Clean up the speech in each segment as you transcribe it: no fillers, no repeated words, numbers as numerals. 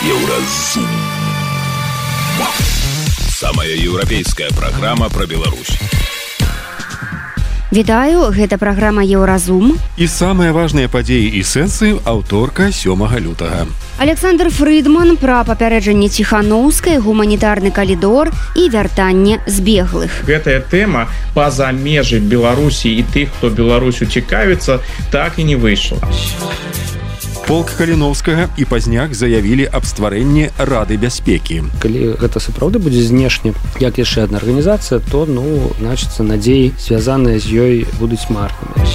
Еўразум. Самая еўрапейская праграма пра Беларусь. Вітаю, гэта праграма Еўразум. І самыя важныя падзеі і сэнсы аўторка 7 лютага. Александр Фрыдман пра папярэджанне Ціханаўскай, гуманітарны калідор і вяртанне збеглых. Гэтая тэма па-за межы Беларусі і тых, хто Беларусю цікавіцца, так і не выйшла. Полк Каліновскага і пазняк заявілі аб стварэнні Рады бяспекі. Калі гэта сапраўды будзе знешне, як яшчэ адна арганізацыя, то, значыцца, надзеі, звязаныя з ёй, будуць марнымі.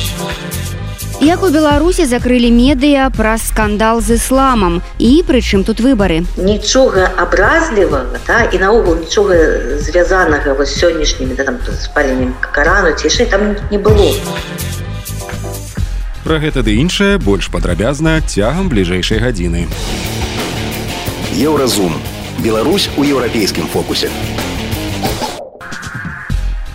Як у Беларусі закрылі медыа праз скандал з ісламам. І прычым тут выбары? Нічога абразлівага, і наогул нічога звязанага з сённяшнімі спаленнем Карану ці яшчэ там не было. Пра гэта ды іншае больш падрабязна цягам бліжэйшай гадзіны. Еўразум. Беларусь у еўрапейскім фокусе.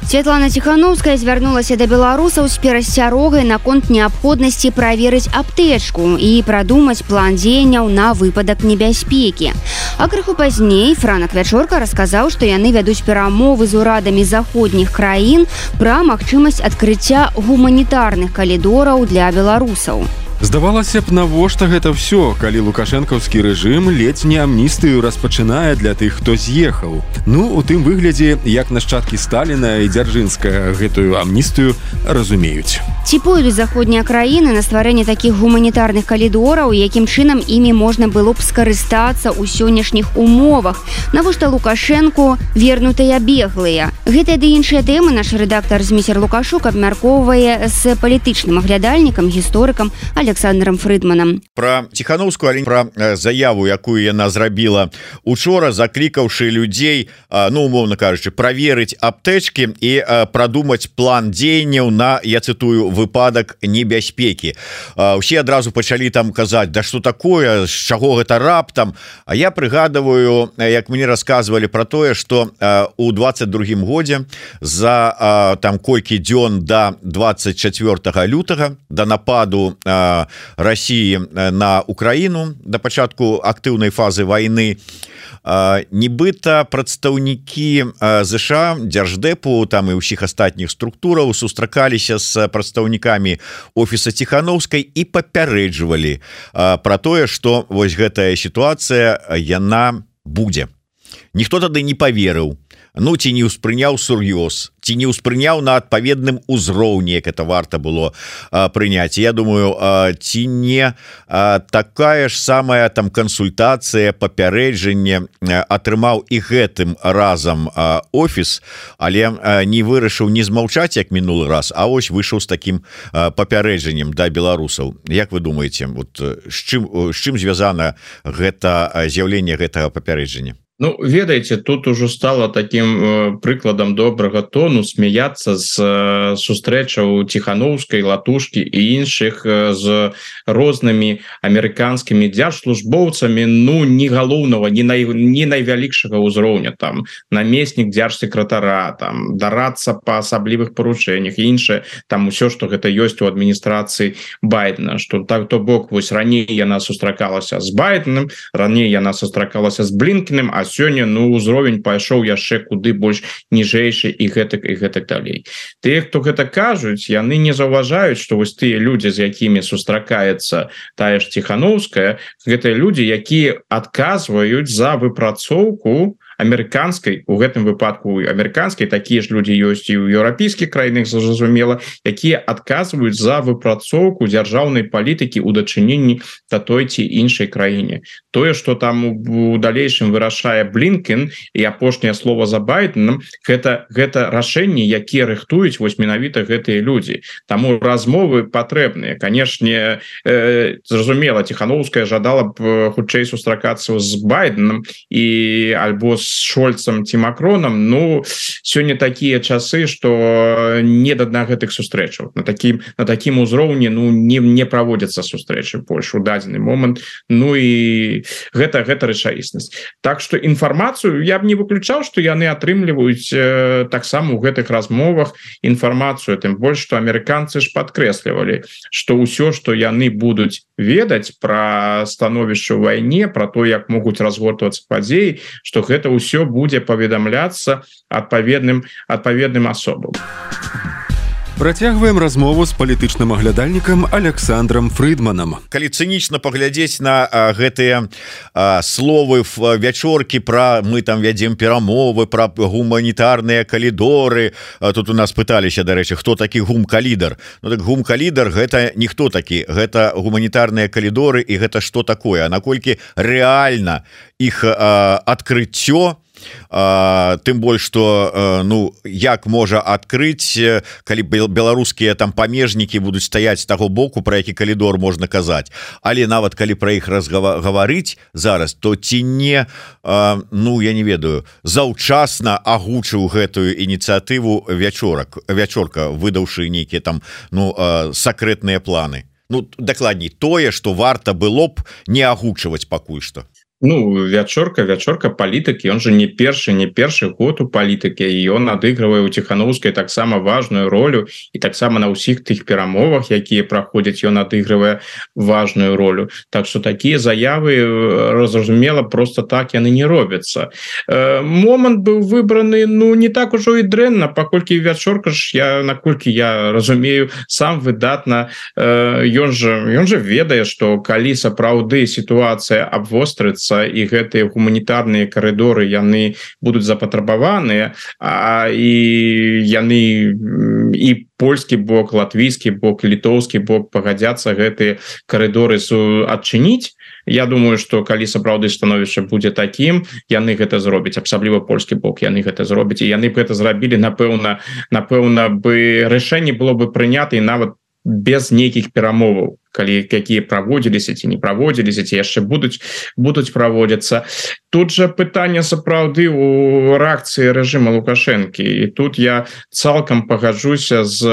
Святлана Ціханаўская звярнулася да беларусаў з перасцярогай наконт неабходнасці праверыць аптэчку і прадумаць план дзеянняў на выпадак небяспекі. А крыху пазней Франак Вячорка расказаў, што яны вядуць перамовы з урадамі заходніх краін пра магчымасць адкрыцця гуманітарных калідораў для беларусаў. Здавалася б, навошта гэта ўсё, калі лукашэнкаўскі рэжым ледзь не амністыю распачынае для тых, хто з'ехаў. У тым выглядзе, як нашчадкі Сталіна і Дзяржынскага гэтую амністыю разумеюць. Ці пойдуць заходнія краіны на стварэнне такіх гуманітарных калідораў, якім чынам імі можна было б скарыстацца ў сённяшніх умовах? Навошта Лукашэнку вернутыя беглыя? Гэтыя ды іншыя тэмы наш рэдактар Зміцер Лукашук абмяркоўвае з палітычным аглядальнікам, гісторыкам Александром Фрыдманам. Пра Ціханаўскую, але пра заяву, якую яна зрабіла учора, заклікаўшы людзей, умоўна кажучы, праверыць аптэчкі і прадумаць план дзеянняў на, я цытую, выпадак небяспекі. Усе адразу пачалі там казаць, да што такое, з чаго гэта раптам? А я прыгадываю, як мне расказвалі пра тое, што у 22-м годзе за там колькі дзён да 24 лютага, да нападу России на Украину, до пачатку актыўнай фазы войны, нібыта прадстаўнікі ЗША, Дзярждэпу, там і ўсіх астатніх структураў сустракаліся з прадстаўнікамі офіса Ціханаўскай і папярэджвалі пра тое, што вось гэтая сітуацыя яна будзе. Ніхто тады не паверыў, ці не ўспрыняў сур'ёз, ці не ўспрыняў на адпаведным узроўні, як это варта было прыняць. Я думаю, ці не такая ж самая там кансультацыя, папярэджанне атрымаў і гэтым разам офіс, але не вырашыў не змаўчаць, як мінулы раз, а ось выйшаў з такім папярэджаннем да беларусаў. Як вы думаеце, з чым звязана гэта з'яўленне гэтага папярэджання? Ведаеце, тут ужо стало таким прыкладам добрага тону смяяцца з сустрэчаў Ціханаўскай, Латушкі і іншых з рознымі амерыканскімі дзяржслужбоўцамі, не галоўнага, не найвялікшага ўзроўня, там намеснік дзяржсекратара, там дарацца па асаблівых парушэннях і іншае, там усё, што гэта ёсць у адміністрацыі Байдена, што так, то бок, вось раней яна сустракалася з Байденом, раней яна сустракалася з Блінкеном, а сёння ўзровень пайшоў яшчэ куды больш ніжэйшы і гэтак далей. Тыя, хто гэта кажуць, яны не заўважаюць, што вось тыя людзі, з якімі сустракаецца тая ж Ціханаўская, гэтыя людзі, якія адказваюць за выпрацоўку амерыканскай, у гэтым выпадку амерыканскай, такія ж людзі ёсць і ў еўрапейскіх краінах, зразумела, якія адказваюць за выпрацоўку дзяржаўнай палітыкі ў дачыненні да той ці іншай краіне. Тое, што там у далейшым вырашае Блінкен і апошняе слова за Байденом, гэта рашэнні, якія рыхтуюць вось менавіта гэтыя людзі. Таму размовы патрэбныя. Канешне, зразумела, Ціханаўская жадала б хутчэй сустракацца з Байденом і альбо Шольцам ці Макронам. Ну сёння такія часы, што не да гэтых сустрэчаў на такім узроўні не праводзяцца сустрэчы больш у дадзены момант. Ну і гэта рэчаіснасць. Так што інфармацыю я б не выключаў, што яны атрымліваюць таксама ў гэтых размовах інфармацыю, тым больш што амерыканцы ж падкрэслівалі, што ўсё, што яны будуць ведаць пра становішча ў вайне, пра то, як могуць разгортвацца падзеі, што гэта ўсё будзе паведамляцца адпаведным асобам. Працягваем размову з палітычным аглядальнікам Александром Фрыдманам. Калі цынічна паглядзець на гэтыя словы вячоркі пра мы там вядзем перамовы, пра гуманітарныя калідоры. Тут у нас пыталіся, дарэчы, хто такі гум-калідар. Ну так гум-калідар гэта ніхто такі, гэта гуманітарныя калідоры, і гэта што такое, а наколькі рэальна іх адкрыццё, тым больш што як можа адкрыць, калі беларускія там памежнікі будуць стаяць з таго боку, пра які калідор можна казаць. Але нават калі пра іх разгаварыць зараз, то ці не я не ведаю, заўчасна агучыў гэтую ініцыятыву вячорка, выдаўшы нейкія там сакрэтныя планы. Дакладней, тое, што варта было б не агучваць пакуль што. Вячорка палітыкі, он же не першы год у палітыкі, і ён адыгрывае у Ціханаўскай таксама важную ролю, і таксама на ўсіх тых перамовах, якія праходзяць, ён адыгрывае важную ролю. Так што такія заявы, зразумела, просто так яны не робяцца. Момант быў выбраны не так ужо і дрэнна, паколькі вячорка ж, наколькі я разумею, сам выдатна, ён же ведае, што калі сапраўды сітуацыя абвострыцца і гэтыя гуманітарныя карыдоры яны будуць запатрабаваныя, і яны і польскі бок, латвійскі бок, літоўскі бок пагадзяцца гэтыя карыдоры адчыніць. Я думаю, што калі сапраўды становішча будзе такім, яны гэта зробяць, асабліва польскі бок, яны гэта зробяць, і яны б гэта зрабілі, напэўна бы рашэнне было бы прынята і нават без нейкіх перамоваў, якія праводзіліся ці не праводзіліся, ці яшчэ будуць праводзіцца. Тут жа пытанне сапраўды ў рэакцыі рэжыма Лукашэнкі, і тут я цалкам пагаджуся з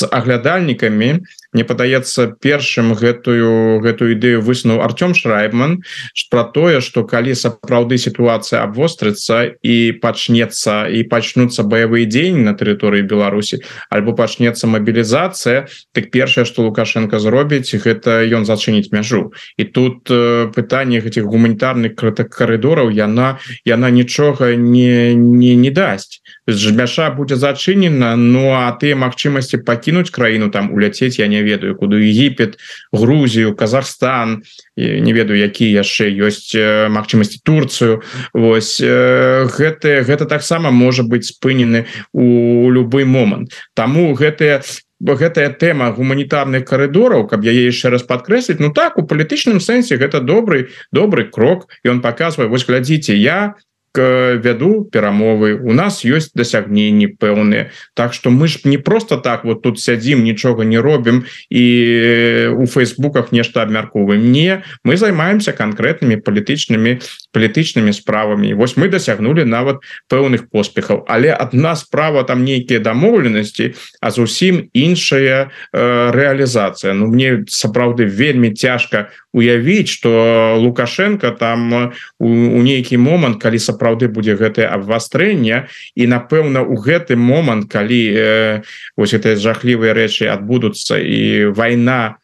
аглядальнікамі. Мне падаецца, першым гэтую ідэю высунуў Артём Шрайбман пра тое, што калі сапраўды сітуацыя абвострыцца і пачнуцца баявыя дзеянні на тэрыторыі Беларусі, альбо пачнецца мабілізацыя, так першае, што Лукашенко зробіць, гэта ён зачыніць мяжу. І тут пытанне гэтых гуманітарных карыдораў яна нічога не дасць. Мяжа будзе зачынена, а тыя магчымасці пакінуць краіну, там уляцець, я не ведаю, куды, Егіпет, Грузію, Казахстан, не ведаю, якія яшчэ ёсць магчымасці, Турцыю. Вось гэта таксама можа быць спынены у любы момант. Таму гэтая тэма гуманітарных карыдораў, каб яе яшчэ раз падкрэсліць, так, у палітычным сэнсе гэта добры крок, і ён паказвае, вось глядзіце, я вяду перамовы, у нас ёсць дасягненні пэўныя, так што мы ж не просто так вот тут сядзім, нічога не робім і у фейсбуках нешта абмяркоўваем. Не, мы займаемся канкрэтнымі палітычнымі справамі. Вось мы дасягнулі нават пэўных поспехаў, але адна справа там нейкія дамоўленасці, а зусім іншая рэалізацыя. Мне сапраўды вельмі цяжка уявіць, што Лукашенко там у нейкі момант, калі сапраўды будзе гэтае абвастрэнне, і напэўна у гэты момант, калі вось гэтыя жахлівыя рэчы адбудуцца і вайна,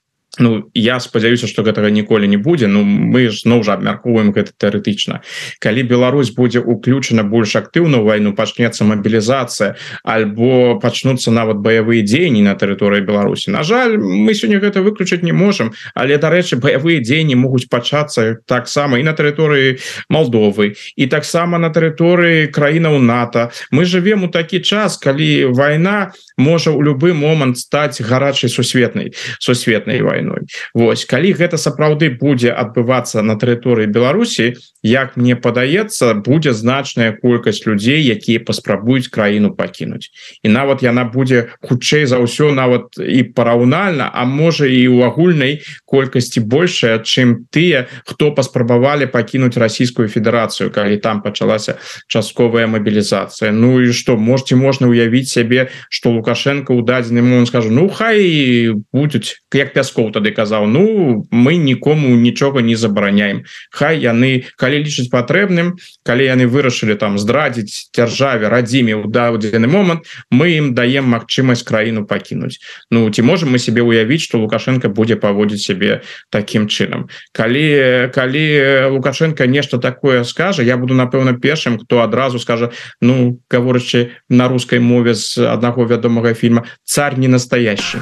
я спадзяюся, што гэтага ніколі не будзе, мы зноў жа абмяркоўваем гэта тэарэтычна. Калі Беларусь будзе уключана больш актыўна ў вайну, пачнецца мабілізацыя, альбо пачнуцца нават баявыя дзеянні на тэрыторыі Беларусі. На жаль, мы сёння гэта выключыць не можам, але, дарэчы, баявыя дзеянні могуць пачацца таксама і на тэрыторыі Малдовы, і таксама на тэрыторыі краінаў НАТО. Мы жывем у такі час, калі вайна можа ў любы момант стаць гарачай сусветнай вайной. вайной. Вось калі гэта сапраўды будзе адбывацца на тэрыторыі Беларусі, як мне падаецца, будзе значная колькасць людзей, якія паспрабуюць краіну пакінуць. І нават яна будзе хутчэй за ўсё нават і параўнальна, а можа і ў агульнай колькасці большая, чым тыя, хто паспрабавалі пакінуць Расійскую Федэрацыю, калі там пачалася частковая мабілізацыя. Ну і што, можна ўявіць сябе, што Лукашенко ў дадзены момант скажа: ну хай будуць, як Пяскоў тады казаў, ну мы нікому нічога не забараняем. Хай яны, калі лічаць патрэбным, калі яны вырашылі там здрадзіць дзяржаве, радзіме ў дадзены момант, мы ім даем магчымасць краіну пакінуць. Ну ці можем мы себе ўявіць, што Лукашенко будзе паводзіць сябе такім чынам. Калі Лукашенко нешта такое скажа, я буду напэўна першым, хто адразу скажа, ну гаворачы на рускай мове з аднаго вядомага фільма, царь не настоящий.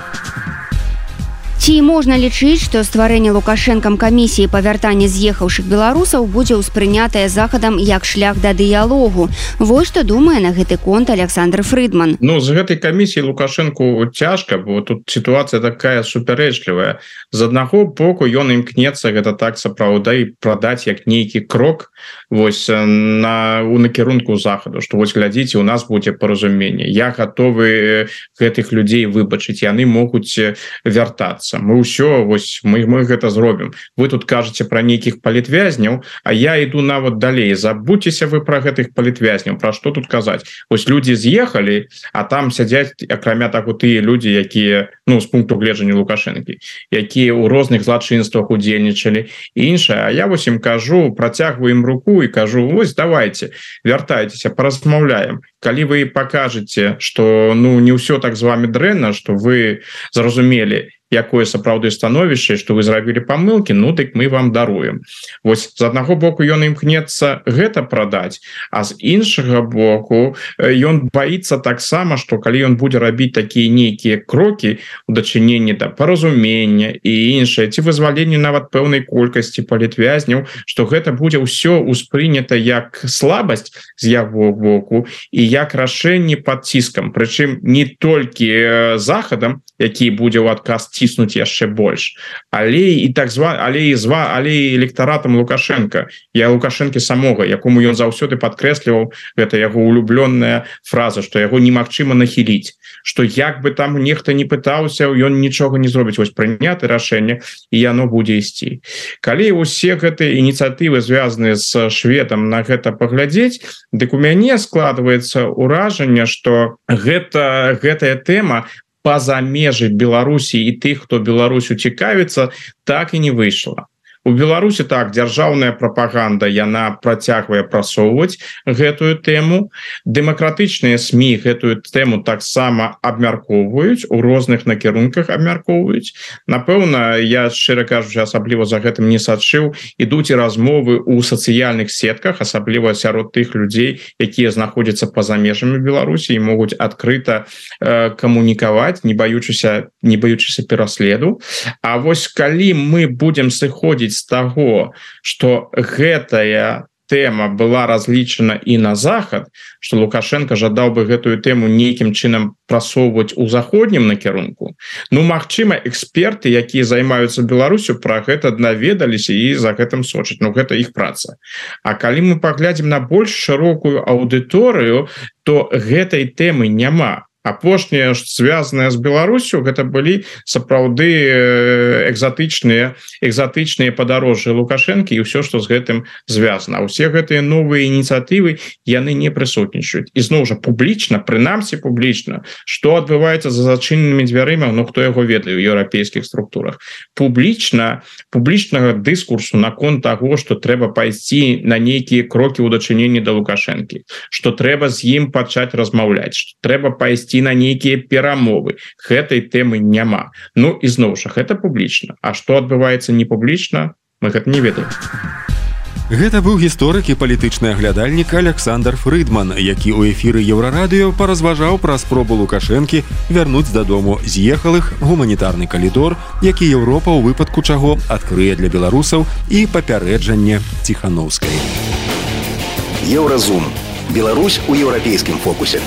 Ці можна лічыць, што стварэнне Лукашэнкам камісіі па вяртанні з'ехаўшых беларусаў будзе ўспрынятае захадам як шлях да дыялогу? Вось што думае на гэты конт Александр Фрыдман. Ну, з гэтай камісіі Лукашэнку цяжка, бо тут сітуацыя такая супярэчлівая. З аднаго боку ён імкнецца гэта так сапраўды прадаць як нейкі крок вось у накірунку захаду, што вось глядзіце, у нас будзе паразуменне. Я гатовы гэтых людзей выбачыць, яны могуць вяртацца. Мы ўсё, вось мы гэта зробім. Вы тут кажаце пра нейкіх палітвязняў, а я іду нават далей. Забудзьцеся вы пра гэтых палітвязняў. Пра што тут казаць? Вось людзі з'ехалі, а там сядзяць, акрамя таго, тыя людзі, якія, ну, з пункту гледжання Лукашэнкі, якія ў розных злачынствах удзельнічалі і іншае. А я вось ім кажу, працягваю ім руку і кажу: вось давайте, вяртайцеся, паразмаўляем. Калі вы пакажаце, што ну не ўсё так з вами дрэнна, што вы зразумелі, якое сапраўды становішча, што вы зрабілі памылкі, ну дык мы вам даруем. Вось з аднаго боку ён імкнецца гэта прадаць, а з іншага боку ён баіцца таксама, што калі ён будзе рабіць такія нейкія крокі у дачыненні да паразумення і іншае, ці вызваленне нават пэўнай колькасці палітвязняў, што гэта будзе ўсё ўспрынята як слабасць з яго боку і як рашэнне пад ціскам, прычым не толькі захадам, які будзе ў адказ ціснуць яшчэ больш, але і так але электаратам Лукашенко, я Лукашенко самога, якому ён заўсёды падкрэсліваў, гэта яго улюблённая фраза, што яго немагчыма нахіліць, што як бы там нехта не пытаўся, ён нічога не зробіць. Вось прыняты рашэнне і яно будзе ісці. Калі усе гэтыя ініцыятывы звязаныя з шведам на гэта паглядзець, дык у мяне складваецца ўражанне, што гэтая тэма па-за межы Беларусі і тых, хто Беларусю цікавіцца, так і не выйшла. У Беларусі так, дзяржаўная прапаганда, яна працягвае прасоўваць гэтую тэму. Дэмакратычныя СМІ гэтую тэму таксама абмяркоўваюць, у розных накірунках абмяркоўваюць. Напэўна, я шчыра кажучы, асабліва за гэтым не сачыў, ідуць і размовы ў сацыяльных сетках, асабліва сярод тых людзей, якія знаходзяцца па-за межамі Беларусі і могуць адкрыта камунікаваць, не баючыся пераследу. А вось калі мы будзем сыходзіць з таго, што гэтая тэма была разлічана і на захад, што Лукашенко жадаў бы гэтую тэму нейкім чынам прасоўваць у заходнім накірунку, ну, магчыма, эксперты, якія займаюцца Беларусю, пра гэта даведаліся і за гэтым сочаць. Ну, гэта іх праца. А калі мы паглядзім на больш шырокую аўдыторыю, то гэтай тэмы няма. Апошняе, звязанае з Беларусю, гэта былі сапраўды экзатычныя падарожжы Лукашэнкі і ўсё, што з гэтым звязана. Усе гэтыя новыя ініцыятывы, яны не прысутнічаюць. І зноў жа публічна, прынамсі публічна, што адбываецца за зачыненымі дзвярыма, ну хто яго ведае ў еўрапейскіх структурах. Публічнага дыскурсу наконт таго, што трэба пайсці на нейкія крокі ў дачыненні да Лукашэнкі, што трэба з ім пачаць размаўляць, што трэба пайсці на нейкія перамовы. Гэтай тэмы няма. Ну і зноў жа, гэта публічна. А што адбываецца не публічна, мы гэта не ведаем. Гэта быў гісторык і палітычны аглядальнік Александр Фрыдман, які ў эфіры Еўрарадыё паразважаў пра спробу Лукашэнкі вярнуць дадому з'ехалых, гуманітарны калідор, які Еўропа ў выпадку чаго адкрые для беларусаў, і папярэджанне Ціханаўскай. Еўразум. Беларусь у еўрапейскім фокусе.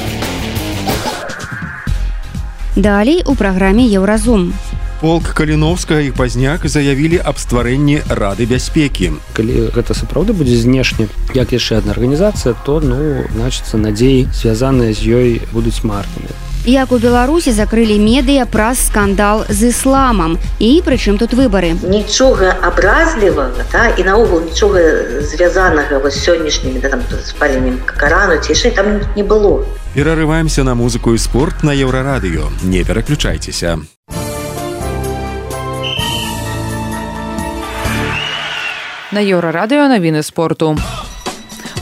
Далей у праграме Еўразум. Полк Каліновскага і Пазняк заявілі аб стварэнні Рады бяспекі. Калі гэта сапраўды будзе знешне як яшчэ адна арганізацыя, то значыцца надзеі звязаныя з ёй будуць марнымі. Як у Беларусі закрылі медыа праз скандал з ісламам. І прычым тут выбары? Нічога абразлівага, і наогул нічога звязанага з сённяшнімі спаленнем Карану ці яшчэ там не было. Перарываемся на музыку і спорт на Еўрарадыё. Не пераключайцеся. На Еўрарадыё навіны спорту.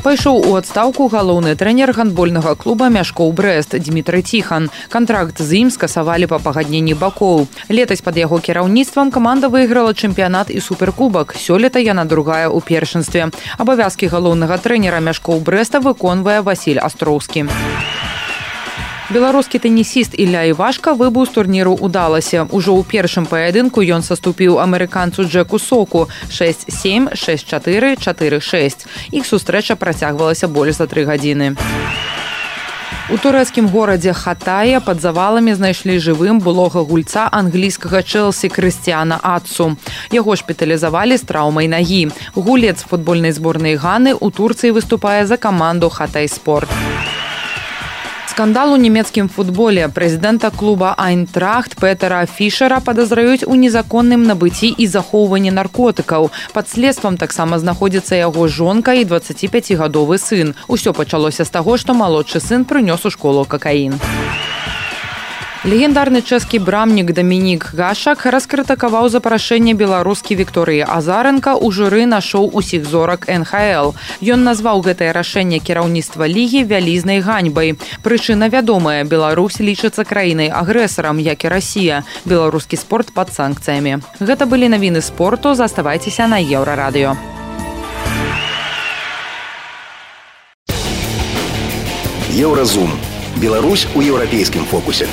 Пайшоў у адстаўку галоўны трэнер гандбольнага клуба Мяшкоў Брэст Дмітрый Ціхан. Кантракт з ім скасавалі па пагадненні бакоў. Летась пад яго кіраўніцтвам каманда выйграла чэмпіянат і суперкубак. Сёлета яна другая ў першынстве. Абавязкі галоўнага трэнера Мяшкоў Брэста выконвае Васіль Астроўскі. Беларускі тэнісіст Ілля Івашка выбыў з турніру ў Даласе. Ужо ў першым паядынку ён саступіў амерыканцу Джеку Соку 6-7, 6-4, 4-6. Іх сустрэча працягвалася больш за 3 гадзіны. У турэцкім горадзе Хатае пад заваламі знайшлі жывым былога гульца англійскага Чэлсі Крыстіана Атсу. Яго шпіталізавалі з траўмай нагі. Гулец футбольнай зборнай Ганы ў Турцыі выступае за каманду Хатай Спорт. Скандал у нямецкім футболе. Прэзідэнта клуба «Айнтрахт» Петера Фішера падазраюць у незаконным набыцці і захоўванні наркотыкаў. Пад следствам таксама знаходзіцца яго жонка і 25-гадовы сын. Усё пачалося з таго, што малодшы сын прынёс у школу какаін. Легендарны чэшскі брамнік Дамінік Гашак раскрытыкаваў запрашэнне беларускі Вікторыі Азаренка ў журы на шоу «Усіх зорак НХЛ». Ён назваў гэтае рашэнне кіраўніцтва лігі вялізнай ганьбай. Прычына вядомая. Беларусь лічыцца краінай-агрэсарам, як і Расія. Беларускі спорт пад санкцыямі. Гэта былі навіны спорту. Заставайцеся на Еўрарадыё. Еўразум. Беларусь у еўрапейскім фокусе.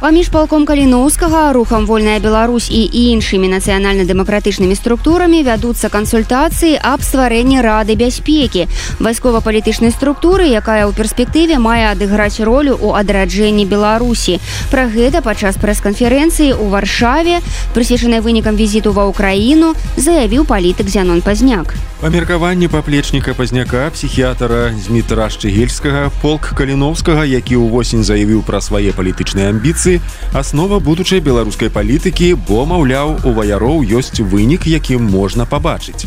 Паміж палком Каліноўскага, рухам «Вольная Беларусь» і іншымі нацыянальна-дэмакратычнымі структурамі вядуцца кансультацыі аб стварэнні Рады бяспекі, вайскова-палітычнай структуры, якая ў перспектыве мае адыграць ролю ў адраджэнні Беларусі. Пра гэта падчас прэс-канферэнцыі ў Варшаве, прысвечанай вынікам візіту ва ўкраіну, заявіў палітык Зянон Пазняк. Па меркаванні паплечніка Пазняка, псіхіятра Змітра Шчыгельскага, полк Каліноўскага, які ўвосень заявіў пра свае палітычныя амбіцыі, аснова будучай беларускай палітыкі, бо, маўляў, у ваяроў ёсць вынік, які можна пабачыць.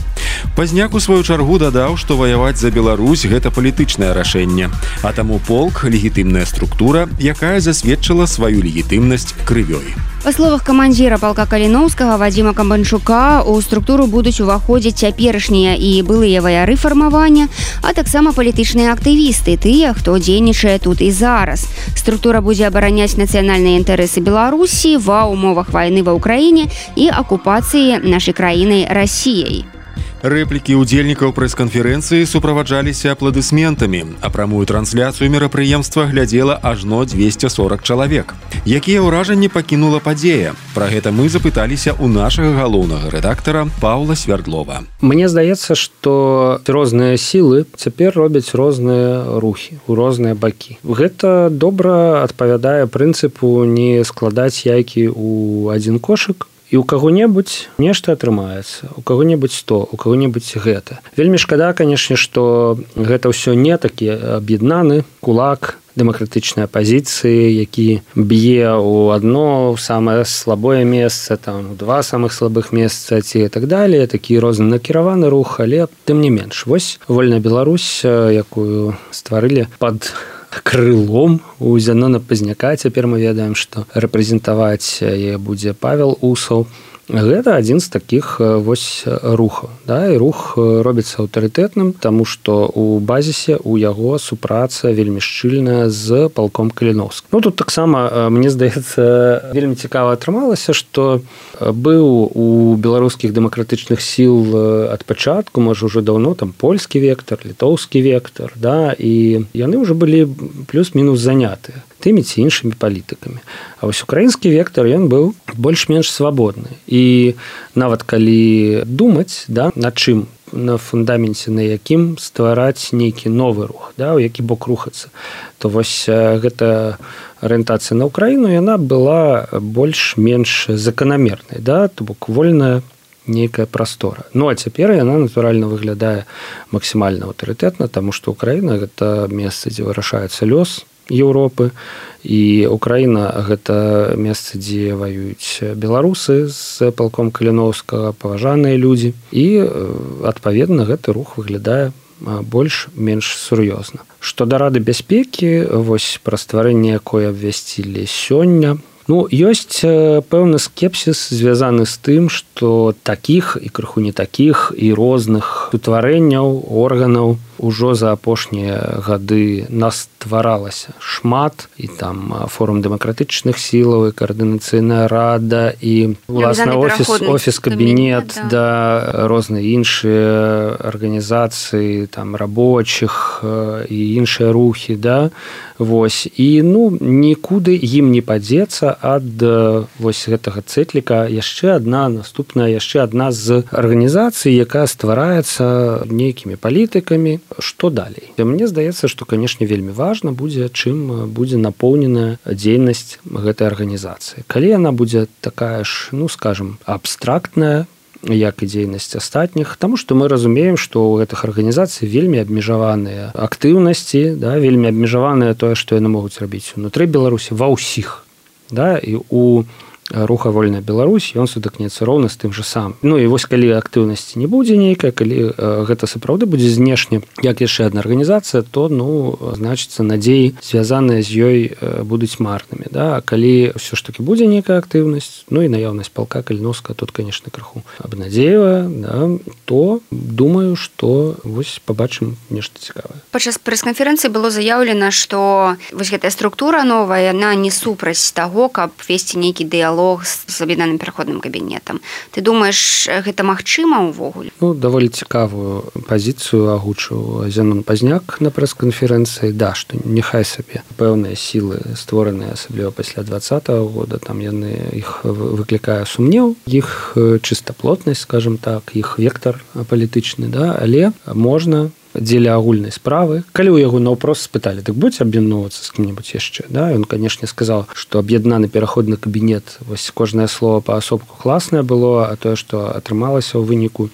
Пазняк у сваю чаргу дадаў, што ваяваць за Беларусь – гэта палітычнае рашэнне, а таму полк – легітымная структура, якая засведчыла сваю легітымнасць крывёй. Па словах камандзіра палка Каліноўскага Вадзіма Камбанчука, у структуру будуць уваходзіць цяперашнія і былыя ваяры фармавання, а таксама палітычныя актывісты, тыя, хто дзейнічае тут і зараз. Структура будзе абараняць нацыянальныя інтарэсы Беларусі ва ўмовах вайны ва ўкраіне і акупацыі нашай краінай Расіяй. Рэплікі ўдзельнікаў прэс-канферэнцыі суправаджаліся апладысментамі, а прамую трансляцыю мерапрыемства глядзела ажно 240 чалавек. Якія ўражанні пакінула падзея? Пра гэта мы запыталіся ў нашага галоўнага рэдактара Паўла Свярдлова. Мне здаецца, што розныя сілы цяпер робяць розныя рухі, у розныя бакі. Гэта добра адпавядае прынцыпу не складаць яйкі ў адзін кошык, і ў каго-небудзь нешта атрымаецца, у каго-небудзь то, у каго-небудзь гэта. Вельмі шкада, канешне, што гэта ўсё не такі аб'яднаны кулак дэмакратычнай апазіцыі, які б'е ў адно самае слабое месца, там, два самых слабых месца ці так далее, такі рознанакіраваны рух, але тым не менш. Вось Вольная Беларусь, якую стварылі пад крылом у Зянона Пазняка. Цяпер мы ведаем, што рэпрэзентаваць яе будзе Павел Усаў. Гэта адзін з такіх вось рухаў. Да? І рух робіцца аўтарытэтным, таму што у базісе у яго супраца вельмі шчыльная з палком Каліноўскім. Ну, тут таксама, мне здаецца, вельмі цікава атрымалася, што быў у беларускіх дэмакратычных сіл ад пачатку, можа, ўжо даўно, там польскі вектар, літоўскі вектар, да? І яны ўжо былі плюс-мінус занятыя тымі ці іншымі палітыкамі. А вось украінскі вектар, ён быў больш-менш свабодны. І нават калі думаць, да, на чым, на фундаменце, на якім ствараць нейкі новы рух, да, у які бок рухацца, то вось гэта арыентацыя на Украіну, яна была больш-менш заканамернай, да, то бок вольная нейкая прастора. Ну, а цяпер яна, натуральна, выглядае максімальна аўтарытэтна, таму што Украіна – гэта месца, дзе вырашаецца лёс Еўропы, і Украіна – гэта месца, дзе ваююць беларусы з палком Каліноўскага, паважаныя людзі, і, адпаведна, гэты рух выглядае больш-менш сур'ёзна. Што да Рады бяспекі, вось пра стварэнне якой абвясцілі сёння, ну, ёсць пэўны скепсіс, звязаны з тым, што такіх і крыху не такіх і розных утварэнняў, органаў ужо за апошнія гады настваралася шмат, і там форум дэмакратычных сілаў, і каардынацыйная рада, і уласна офіс-кабінет, да, розныя іншыя арганізацыі, там, рабочых і іншыя рухі, да, вось, і, ну, нікуды ім не падзецца ад вось гэтага цэтліка яшчэ адна з арганізацый, якая ствараецца нейкімі палітыкамі. Што далей? Мне здаецца, што, канешне, вельмі важна будзе, чым будзе напоўненая дзейнасць гэтай арганізацыі. Калі яна будзе такая ж, ну, скажем, абстрактная, як і дзейнасць астатніх, таму што мы разумеем, што ў гэтых арганізацый вельмі абмежаваныя актыўнасці, да, вельмі абмежаваныя тое, што яны могуць рабіць унутры Беларусі ва ўсіх. Да, і у руха «Вольная Беларусь» ён сутыкнецца роўна з тым жа самым. Ну і вось калі актыўнасці не будзе нейкая, калі гэта сапраўды будзе знешне, як яшчэ адна арганізацыя, то, ну, значыцца, надзеі, звязаныя з ёй, будуць марнымі. Да? А калі ўсё ж такі будзе нейкая актыўнасць, ну і наяўнасць палка Каліноўскага тут, канешне, крыху абнадзеевая, да, то думаю, што вось пабачым нешта цікавае. Падчас прэс-канферэнцыі было заяўлена, што вось гэтая структура новая, яна не супраць таго, каб весці нейкі дыялог з аб'яднаным пераходным кабінетам. Ты думаеш, гэта магчыма ўвогуле? Ну, даволі цікавую пазіцыю агучыў Зенон Пазняк на прэс-канферэнцыі. Да, што няхай сабе пэўныя сілы, створаныя асабліва пасля 2020 года, там яны, іх выклікае сумнеў, іх чыстаплотнасць, скажем так, іх вектар палітычны, да, але можна дзеля агульнай справы. Калі ў яго наўпрост спыталі, так будзе аб'ядноўвацца з кім-небудзь яшчэ, да, ён, канешне, сказаў, што аб'яднаны пераходны кабінет, вось кожнае слово паасобку класнае было, а тое, што атрымалася ў выніку,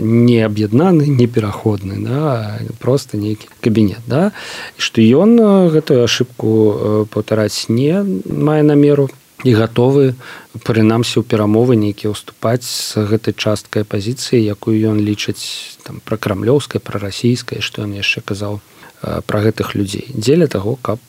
не аб'яднаны, не пераходны, да, просто нейкі кабінет, да, і што ён гэтую ашыбку паўтараць не мае намеру і гатовы, прынамсі, ў перамовы нейкія ўступаць з гэтай часткай пазіцыі, якую ён лічыць там пракрамлёўскай, прарасійскай, што ён яшчэ казаў пра гэтых людзей. Дзеля таго, каб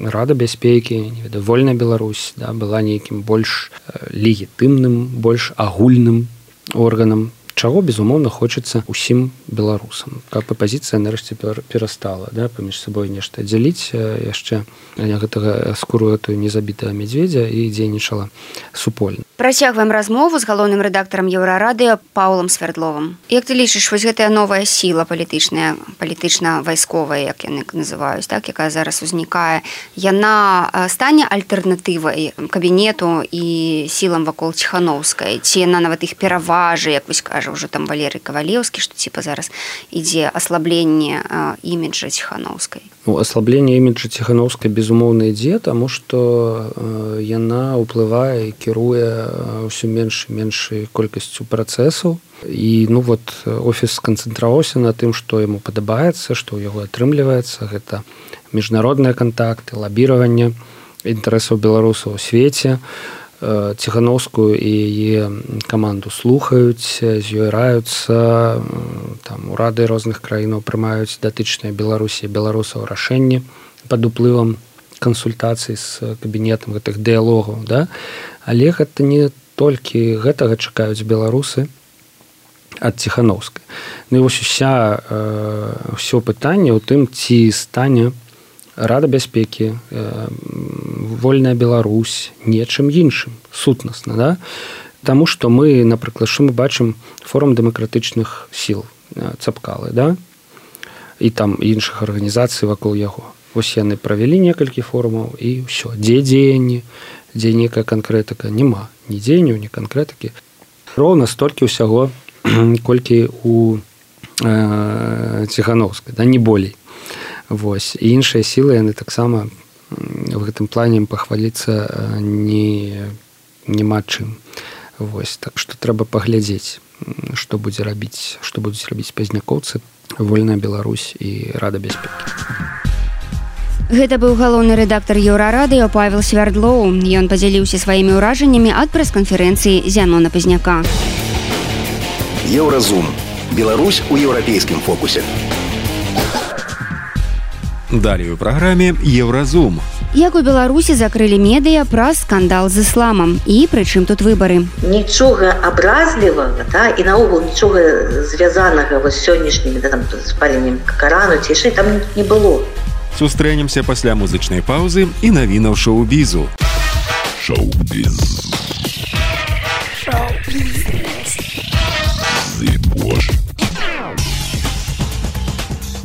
Рада бяспекі, Вольная Беларусь, да, была нейкім больш легітымным, больш агульным органам, чаго, безумоўна, хочацца ўсім беларусам. Каб апазіцыя нарэшце перастала, да, паміж сабой нешта дзяліць яшчэ гэтага скуру гэтую незабітага мядзведзя і дзейнічала супольна. Працягваем размову з галоўным рэдактарам Еўрарады Паўлам Свярдловым. Як ты лічыш, вось гэтая новая сіла палітычная, палітычна-вайсковая, як яны называюць, так, якая зараз узнікае, яна стане альтэрнатывай кабінету і сілам вакол Ціханаўскай? Ці яна нават іх пераважы, як вось кажа ўжо там Валерый Кавалеўскі, што типа зараз ідзе аслабленне іміджа Ціханаўскай? Ну, аслабленне іміджа Ціханаўскай, безумоўна, ідзе, таму што яна ўплывае і кіруе ўсё менш і меншай колькасцю працэсаў. І, ну, вот, офіс сканцэнтраваўся на тым, што яму падабаецца, што ў яго атрымліваецца. Гэта міжнародныя кантакты, лабіраванне інтарэсаў беларусаў у свеце. Ціханаўскую і яе каманду слухаюць, з ёй раюцца, там урады розных краінаў прымаюць датычныя Беларусі і беларусаў рашэнні пад уплывам кансультацый з кабінетам гэтых дыялогаў, да? Але гэта не толькі гэтага чакаюць беларусы ад Ціханаўскай. Ну і вось ўсё пытанне ў тым, ці стане Рада бяспекі, Вольная Беларусь, нечым іншым, сутнасна, да? Таму што мы, напрыклад, што мы бачым форум дэмакратычных сіл, Цапкалы, да? І там іншых арганізацый вакол яго. Вось яны правялі некалькі форумаў і ўсё. Дзе дзеянні, дзе нейкая канкрэтыка? Няма. Ні дзеянняў, ні канкрэтыкі. Роўна столькі ўсяго, колькі у Ціханаўскай, да, не болей. Вось. І іншыя сілы, яны таксама в гэтым плане пахваліцца няма чым. Вось, так што трэба паглядзець, што будуць рабіць пазнякоўцы, Вольная Беларусь і Рада бяспекі. Гэта быў галоўны рэдактар Еўрарадыё Павел Свярдлоў. Ён падзяліўся сваімі ўражаннямі ад прэс-канферэнцыі Зянона Пазняка. Еўразум. Беларусь у еўрапейскім фокусе. Далей у праграме Еўразум. Як у Беларусі закрылі медыа праз скандал з ісламам і прычым тут выбары. Нічога абразлівага, і наогул нічога звязанага з сённяшнімі спаленнем Карану ці яшчэ там не было. Сустрэнемся пасля музычнай паўзы і навінаў шоу-бізу. Шоу-біз.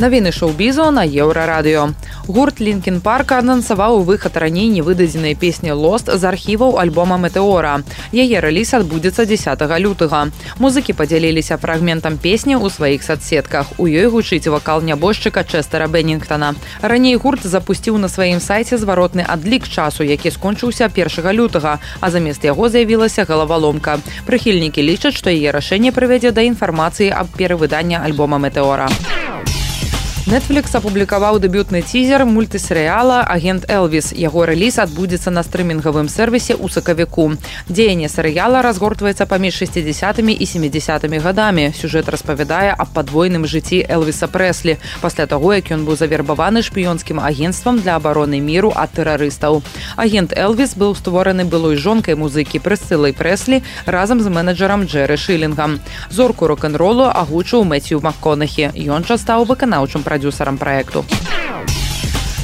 Навіны шоу-бізу на Еўрарадыё. Гурт Лінкін Парк анансаваў выхад раней невыдадзенай песні «Lost» з архіваў альбома «Метэора». Яе рэліз адбудзецца 10 лютага. Музыкі падзяліліся фрагментам песні ў сваіх садсетках. У ёй гучыць вакал нябожчыка Чэстера Беннінгтона. Раней гурт запусціў на сваім сайце зваротны адлік часу, які скончыўся 1 лютага, а замест яго з'явілася галаваломка. Прыхільнікі лічаць, што яе рашэнне прывядзе да інфармацыі аб перавыданні альбома «Метэора». Netflix апублікаваў дэбютны цізер мультысерыяла «Агент Элвіс». Яго рэліз адбудзецца на стрымінгавым сервісе ў сакавіку. Дзеянне серыяла разгортваецца паміж 60-мі і 70-мі гадамі. Сюжэт распавядае аб падвойным жыцці Элвіса Прэслі пасля таго, як ён быў завербаваны шпіёнскім агенцтвам для абароны міру ад тэрарыстаў. Агент Элвіс быў створаны былой жонкай музыкі Прысцылай Прэслі разам з менеджерам Джэры Шылінгам. Зорку рок-н-ролу агучыў Мэцью МакКонахі. Ён жа стаў выканаўчым продюсерам проекту.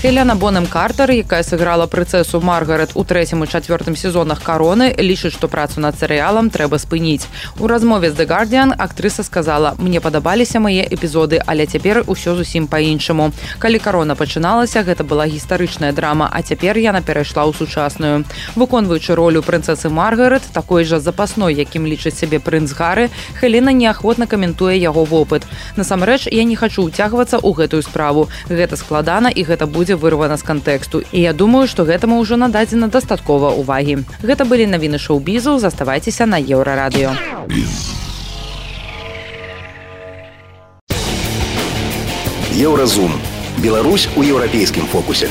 Хелена Бонем Картер, якая сыграла прынцэсу Маргарет у 3-м і 4-м сезонах «Кароны», лічыць, што працу над серыялам трэба спыніць. У размове з The Guardian актрыса сказала: «Мне падабаліся мае эпізоды, але цяпер усё зусім па-іншаму. Калі «Карона» пачыналася, гэта была гістарычная драма, а цяпер яна перайшла ў сучасную». Выконваючы ролю прынцэсы Маргарет, такой жа запасной, якім лічыць сябе прынц Гары, Хелена неахвотна каментуе яго вопыт. «Насамрэч, я не хачу ўцягвацца ў гэтую справу. Гэта складана і гэта будзе вырвана з кантэксту. І я думаю, што гэтаму ўжо нададзена дастаткова ўвагі». Гэта былі навіны шоу-бізу. Заставайцеся на Еўрарадыё. Еўразум. Беларусь у еўрапейскім фокусе.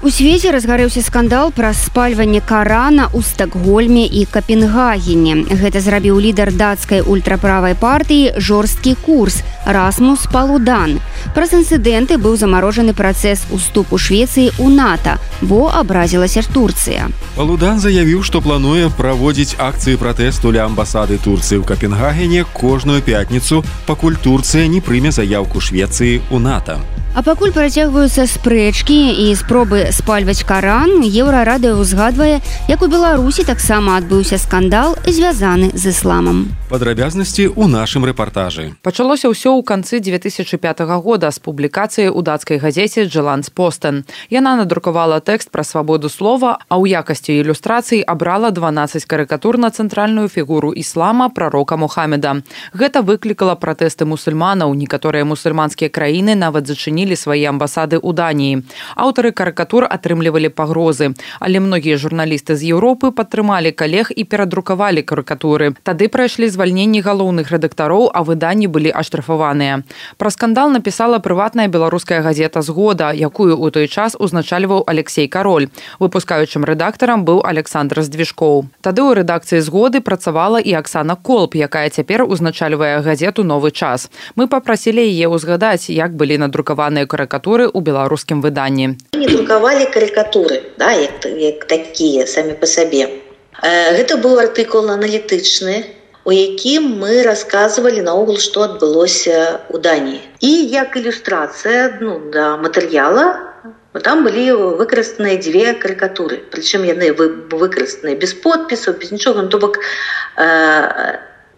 У свеце разгарэўся скандал праз спальванне Карана ў Стакгольме і Капенгагене. Гэта зрабіў лідар дацкай ультраправай партыі «Жорсткі курс» Расмус Палудан. Праз інцыдэнты быў замарожаны працэс уступу Швецыі ў НАТО, бо абразілася Турцыя. Палудан заявіў, што плануе праводзіць акцыі пратэсту ля амбасады Турцыі ў Капенгагене кожную пятніцу, пакуль Турцыя не прыме заяўку Швецыі ў НАТО. А пакуль працягваюцца спрэчкі і спробы спальваць Каран, Еўрарадыё ўзгадвае, як у Беларусі таксама адбыўся скандал, звязаны з ісламам. Падрабязнасці ў нашым рэпартажы. Пачалося ўсё ў канцы 2005 года з публікацыі ў дацкай газеце «Джеландспостен». Яна надрукавала тэкст пра свабоду слова, а ў якасці ілюстрацый абрала 12 карыкатур на цэнтральную фігуру іслама прарока Мухаммеда. Гэта выклікала пратэсты мусульманаў. Некаторыя мусульманскія краіны нават зачынілі свае амбасады ў Даніі. Аўтары карыкатур атрымлівалі пагрозы, але многія журналісты з Еўропы падтрымалі калег і перадрукавалі карыкатуры. Тады прайшлі звальненні галоўных рэдактароў, а выданні былі аштрафаваныя. Пра скандал напісала прыватная беларуская газета «Згода», якую ў той час узначальваў Алексей Кароль. Выпускаючым рэдактарам быў Александр Здвижкоў. Тады ў рэдакцыі «Згоды» працавала і Аксана Колб, якая цяпер узначальвае газету «Новы час». Мы папрасілі яе ўзгадаць, як былі надрукаваныя карыкатуры ў беларускім выданні. Не друкавалі карыкатуры, як такія самі па сабе. Гэта быў артыкул аналітычны, у якім мы расказвалі наогул, што адбылося ў Даніі. І як ілюстрацыя да матэрыяла, там былі выкарыстаныя 2 карыкатуры. Прычым яны выкарыстаныя без подпісаў, без нічога. То бок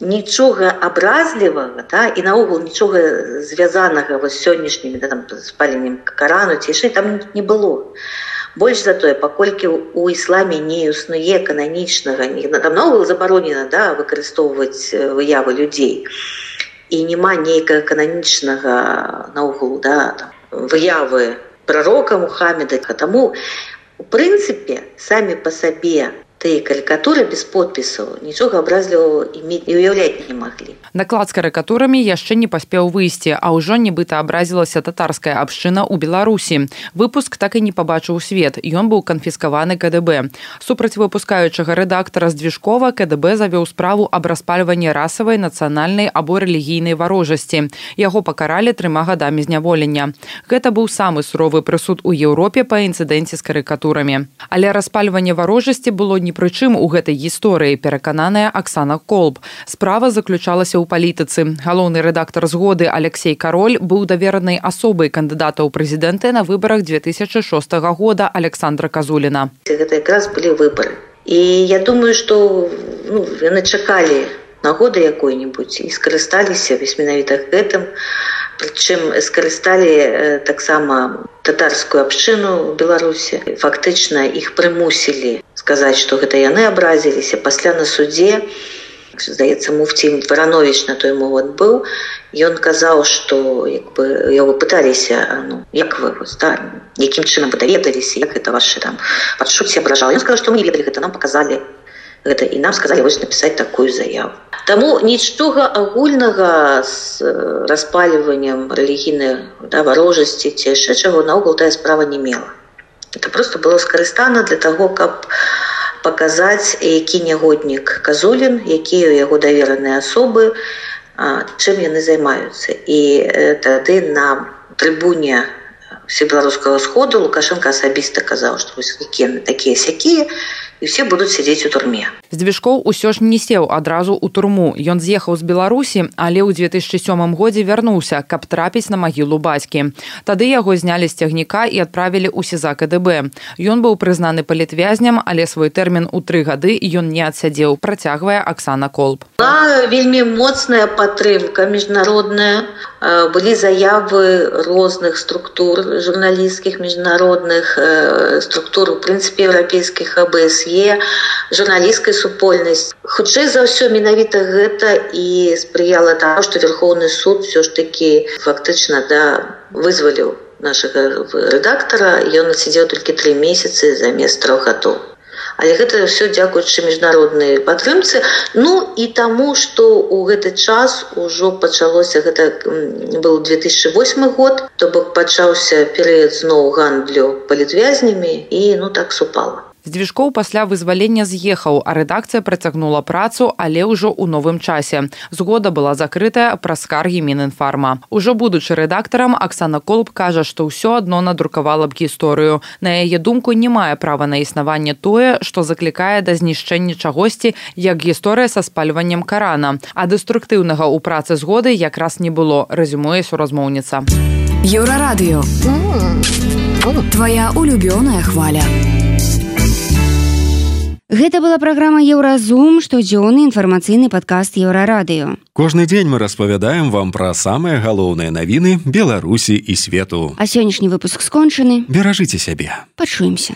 нічога абразлівага і наогул нічога звязанага з сённяшнімі спаленнем Карану ці яшчэ там не было. Больш за тое, паколькі ў ісламе не існуе кананічнага, там наогул забаронена выкарыстоўваць выявы людзей. І няма нейкага кананічнага наогул выявы пророка Мухаммеда. Таму у прынцыпе самі па сабе тыя карикатуры без подпісаў нічога абразлівого і уяўляць не маглі. Наклад з карикатурамі яшчэ не паспеў выйсці, а ўжо нібыта абразілася татарская абшчына ў Беларусі. Выпуск так і не пабачыў свет, ён быў канфіскаваны КДБ. Супраць выпускаючага рэдактара Здвижкова КДБ завёў справу аб распальванні расавай, нацыянальнай або рэлігійнай варожасці. Яго пакаралі 3 гадамі зняволення. Гэта быў самы суровы прысуд у Еўропе па інцыдэнце з карикатурамі. Але распальванне варожасці было ні пры чым у гэтай гісторыі, перакананая Аксана Колб. Справа заключалася ў палітыцы. Галоўны рэдактар «Згоды» Алексей Кароль быў даверанай асобай кандыдата ў прэзідэнты на выбарах 2006 года Александра Казуліна. Гэта якраз былі выбары. І я думаю, што яны чакалі нагоды якой-небудзь і скарысталіся менавіта гэтым. Прычым скарысталі таксама татарскую абшчыну ў Беларусі. Фактычна іх прымусілі сказаць, што гэта яны абразіліся. Пасля на судзе, здаецца, муфці Варанович на той момант быў, ён казаў, што яго пыталіся, як вы, якім чынам вы даведаліся, як гэта вашы падшуцці абражала. Ён сказаў, што мы не ведалі гэта, нам паказалі гэта і нам сказалі вось напісаць такую заяву. Таму нічога агульнага з распальваннем рэлігійнай варожасці ці яшчэ чаго наогул тая справа не мела. Это просто было скарыстана для таго, каб паказаць, які нягоднік Казулін, якія ў яго давераныя асобы, чым яны займаюцца. І тады на трыбуне Всебеларускага сходу Лукашенко асабіста казаў, што вось такія-сякія, і ўсе будуць сядзець у турме. Здвижкоў усё ж не сеў адразу ў турму. Ён з'ехаў з Беларусі, але ў 2007 годзе вярнуўся, каб трапіць на магілу бацькі. Тады яго знялі з цягніка і адправілі ў СІЗА КДБ. Ён быў прызнаны палітвязням, але свой тэрмін у 3 гады ён не адсядзеў, працягвае Аксана Колб. Была вельмі моцная падтрымка міжнародная. Былі заявы розных структур журналісцкіх, міжнародных структур, у прынцыпе, еўрапейскіх АБСЕ, журналісцкай супольнасці. Хутчэй за ўсё, менавіта гэта і спрыяла таму, што Верховны суд ўсё ж такі фактычна вызваліў нашага рэдактара, ён адсядзеў толькі 3 месяцы замест 3 гадоў. Але гэта ўсё дзякуючы міжнароднай падтрымцы. І таму, што ў гэты час ужо пачалося, гэта быў 2008 год, то бок пачаўся перыяд зноў гандлю палітвязнямі і так супала. Здвижкоў пасля вызвалення з'ехаў, а рэдакцыя працягнула працу, але ўжо ў новым часе. Згода была закрытая праз скаргі Мінінфарма. Ужо будучы рэдактарам, Аксана Колб кажа, што ўсё адно надрукавала б гісторыю. На яе думку, не мае права на існаванне тое, што заклікае да знішчэння чагосьці, як гісторыя са спальваннем Карана. А дэструктыўнага ў працы згоды якраз не было, рэзюмуе суразмоўніца. Еўрарадыё. Твая улюбёная хваля. Гэта была праграма «Еўразум», штодзённы інфармацыйны падкаст Еўрарадыё. Кожны дзень мы распавядаем вам пра самыя галоўныя навіны Беларусі і свету. А сённяшні выпуск скончаны. Беражыце сябе. Пачуемся.